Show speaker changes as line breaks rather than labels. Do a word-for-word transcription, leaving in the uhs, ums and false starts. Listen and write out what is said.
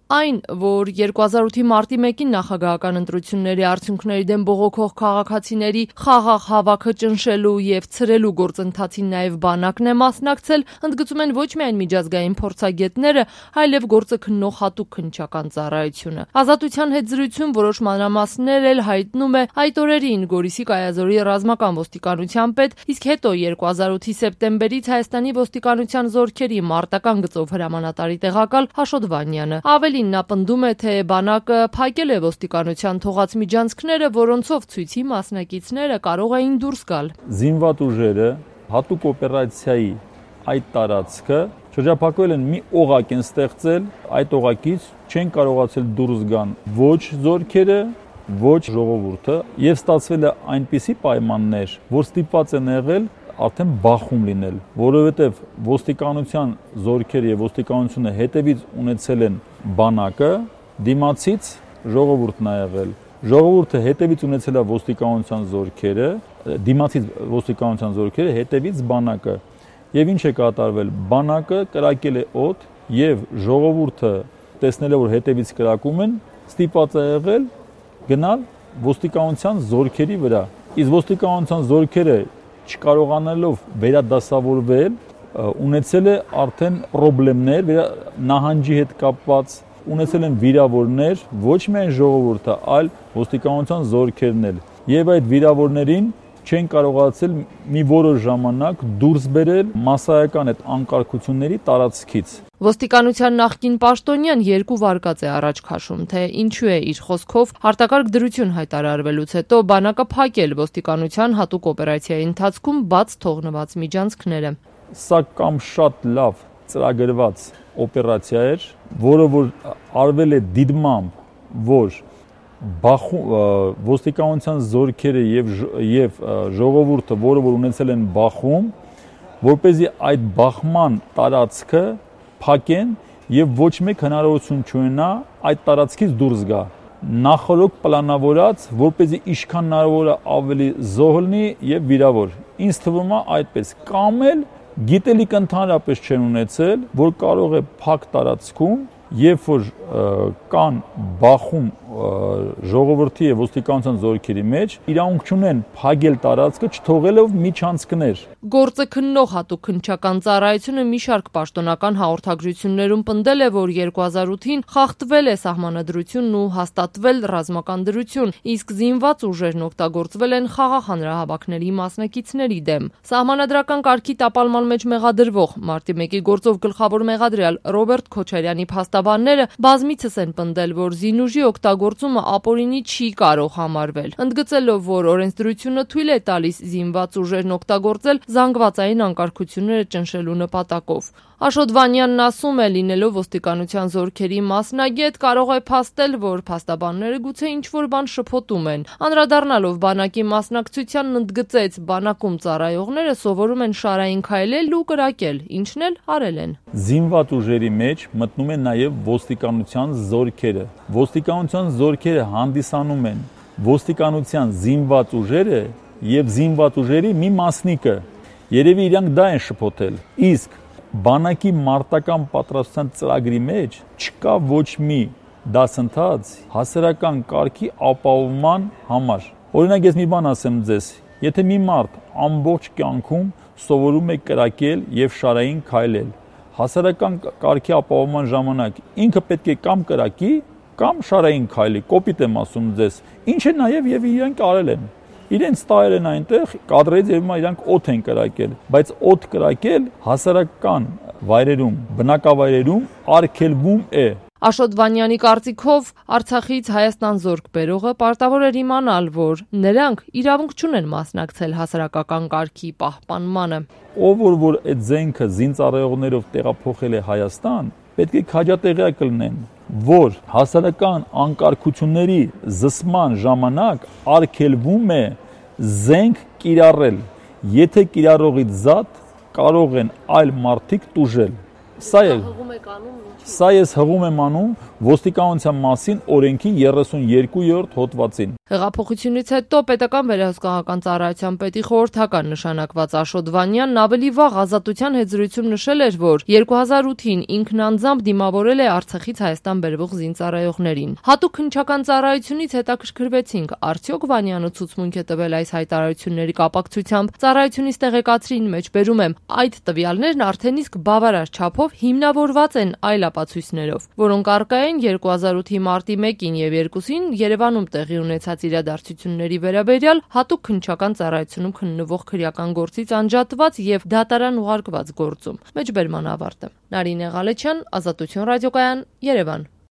Այն, որ երկու հազար ութի մարտի մեկին նախագահական ընտրությունների արդյունքների դեմ բողոքող քաղաքացիների խաղաղ հավաքը ճնշելու եւ ցրելու գործընթացին նաեւ բանակն է մասնակցել, ընդգծում են ոչ միայն միջազգային փորձագետները, այլև գործը քննող հատուկ քննչական ծառայությունը։ Ազատության հետ զրույցում որոշ մանրամասներ էլ հայտնում է այդ օրերին Գորիսի Կայազորի ռազմական ոստիկանության պետ, իսկ հետո երկու հազար ութի սեպտեմբերից Հայաստանի ոստիկանության զորքերի մարտական գծով հրամանատարի տեղակալ Աշոտ Վանյանը։ Ավելին նա պնդում է, թե բանակը փակել է ոստիկանության թողած միջանցքները, որոնցով ցույցի մասնակիցները կարող էին դուրս գալ։
Զինված ուժերը հատուկ օպերացիայի այդ տարածքը շրջափակվել են, մի օղակ են ստեղծել, այդ օղակից չեն կարողացել դուրս գան ոչ զորքերը, ոչ ժողովուրդը, եւ ստացվել է այնպիսի պայմաններ, որ ստիպված են եղել արդեն բախում լինել, որովհետև ոստիկանության զորքերը եւ ոստիկանությունը հետևից ունեցել են բանակը, դիմացից ժողովուրդն է եղել։ Ժողովուրդը հետևից ունեցել է ոստիկանության զորքերը, դիմացից ոստիկանության զորքերը, հետևից բանակը։ Եվ ինչ է կատարվել, բանակը կրակել է օդ եւ ժողովուրդը տեսնելով որ հետևից կրակում են, ստիպված է եղել գնալ ոստիկանության զորքերի վրա։ Իսկ ոստիկանության զորքերը չկարողանալով վերադասավորվել, ունեցել է արդեն խնդիրներ նահանջի հետ կապված, ունեցել են վիրավորներ, ոչ միայն ժողովուրդը, այլ ոստիկանության զորքերն էլ։ Եվ այդ վիրավորներին չեն կարողացել մի որոշ ժամանակ դուրս բերել մասսայական այդ անկարգությունների տարածքից։
Ոստիկանության նախկին պաշտոնյան երկու վարկած է առաջ քաշում, թե ինչու է իր խոսքով արտակարգ դրություն հայտարարվելուց հետո բանակը փակել ոստիկանության հատուկ օպերացիայի ընթացքում բաց թողնված միջանցքները։
Սա կամ շատ լավ ծրագրված օպերացիա էր, որը որ արվել է դիտմամբ, որ բախում ոստիկանության զորքերը եւ եւ ժողովուրդը, որը որ ունեցել են բախում, որպեսզի այդ բախման տարածքը փակեն եւ ոչ մեկ հնարավորություն չունենա այդ տարածքից դուրս գա։ Նախորոք պլանավորած, որպեսզի ինչքան հնարավոր է ավելի զոհ լինի եւ վիրավոր։ Ինձ թվում է այդպես, կամ էլ գիտելիք ընդհանրապես չեն ունեցել, որ կարող է փակ տարածքում, երբ որ կան բախում ժողովրդի եւ ոստիկանության զորքերի մեջ, իրավունք չունեն փակել տարածքը, չթողելով միջանցքներ։
Գործը քննող հատուկ քննչական ծառայությունը մի շարք պաշտոնական հաղորդագրություններում պնդել է, որ երկու հազար ութին խախտվել է սահմանադրությունն ու հաստատվել ռազմական դրություն, իսկ զինված ուժերն օգտագործվել են խաղաղ հանրահավաքների մասնակիցների դեմ։ Սահմանադրական կարգի տապալման մեջ մեղադրվող մարտի մեկի գործով գլխավոր մեղադրյալ Ռոբերտ Քոչարյանի փաստաբանները բազմիցս են պնդել, որ զինուժի օգտագործումը ապօրինի չի կարող համարվել, ընդգծելով, որ օրենսդրությունը թույլ է տալիս զինված ուժերն օգտագործել զանգվածային անկարգությունները ճնշելու նպատակով։ Աշոտ Վանյանն ասում է, լինելով ոստիկանության զորքերի մասնագետ, կարող է փաստել, որ փաստաբանները գուցե ինչ-որ բան շփոթում են։ Անդրադառնալով բանակի մասնակցությանն ընդգծեց, բանակում ծառայողները սովորում են շարային քայլել ու կրակել, ինչն էլ արել են։
Զինված ուժերի մեջ մտնում են նաև ոստիկանության զորքերը։ Ոստիկանության զորքերը հանդիսանում են ոստիկանության զինված ուժերը եւ զինված ուժերի մի մասնիկը։ Երևի իրանք դա են շփոթել։ Իսկ բանակի մարտական պատրաստության ծրագրի մեջ չկա ոչ մի դասընթաց հասարակական կարգի ապահովման համար։ Օրինակ ես մի բան ասեմ ձեզ, եթե մի մարդ ամբողջ կյանքում սովորում է կրակել եւ շարային քայլել, հասարակական կարգի ապահովման ժամանակ ինքը պետք է կամ կրակի, կամ շարային քայլի, կոպիտ եմ ասում ձեզ, ինչը նաեւ եւ իրանք արել են։ Իրենց տայել են այնտեղ, կադրից եւ հիմա իրանք օդ են կրակել, բայց օդ կրակել հասարակական վայրերում, բնակավայրերում արգելվում է։
Աշոտ Վանյանի կարծիքով Արցախից Հայաստան զորք բերողը պարտավոր էր իմանալ, որ նրանք իրավունք չունեն մասնակցել հասարակական կարգի պահպանմանը։
Ով որ որ այդ զենքը զինծառայողներով տեղափոխել է Հայաստան, պետք է քաջատեղյակ լինեն, որ հասարակական անկարգությունների զսման ժամանակ արգելվում է զենք կիրառել, եթե կիրառողից զատ կարող են այլ մարդիկ տուժել։ Սա է Սա ես հղում եմ անում ոստիկանության մասին օրենքի երեսունյոթերորդ հոդվածին։
Հեղափոխությունից հետո պետական վերահսկողական ծառայության պետի խորհրդական նշանակված Աշոտ Վանյանն ավելի վաղ Ազատության հետզրույցում նշել էր, որ երկու հազար ութին ինքն անձամբ դիմավորել է Արցախից Հայաստան բերվող զինծառայողներին։ Հատուկ քննչական ծառայությունից հետաքրքրվեցինք, արդյոք Վանյանը ցուցմունք է տվել այս հայտարարությունների կապակցությամբ։ Ծառայությունից տեղեկացրին մեջբերում եմ, այդ տվյալներն արդեն իսկ բավարար չափով հիմնավորված են այլ ապացույցներով, որոնք առկա են երկու հազար ութի մարտի մեկին եւ երկուսին Երևանում տեղի ունեցած իրադարձությունների վերաբերյալ հատուկ քննչական ծառայությունում քննվող քրեական գործից անջատված եւ դատարան ուղարկված գործում։ Մեջբերման ավարտը։ Նարինե Ղալեչյան, Ազատություն ռադիոկայան, Երևան։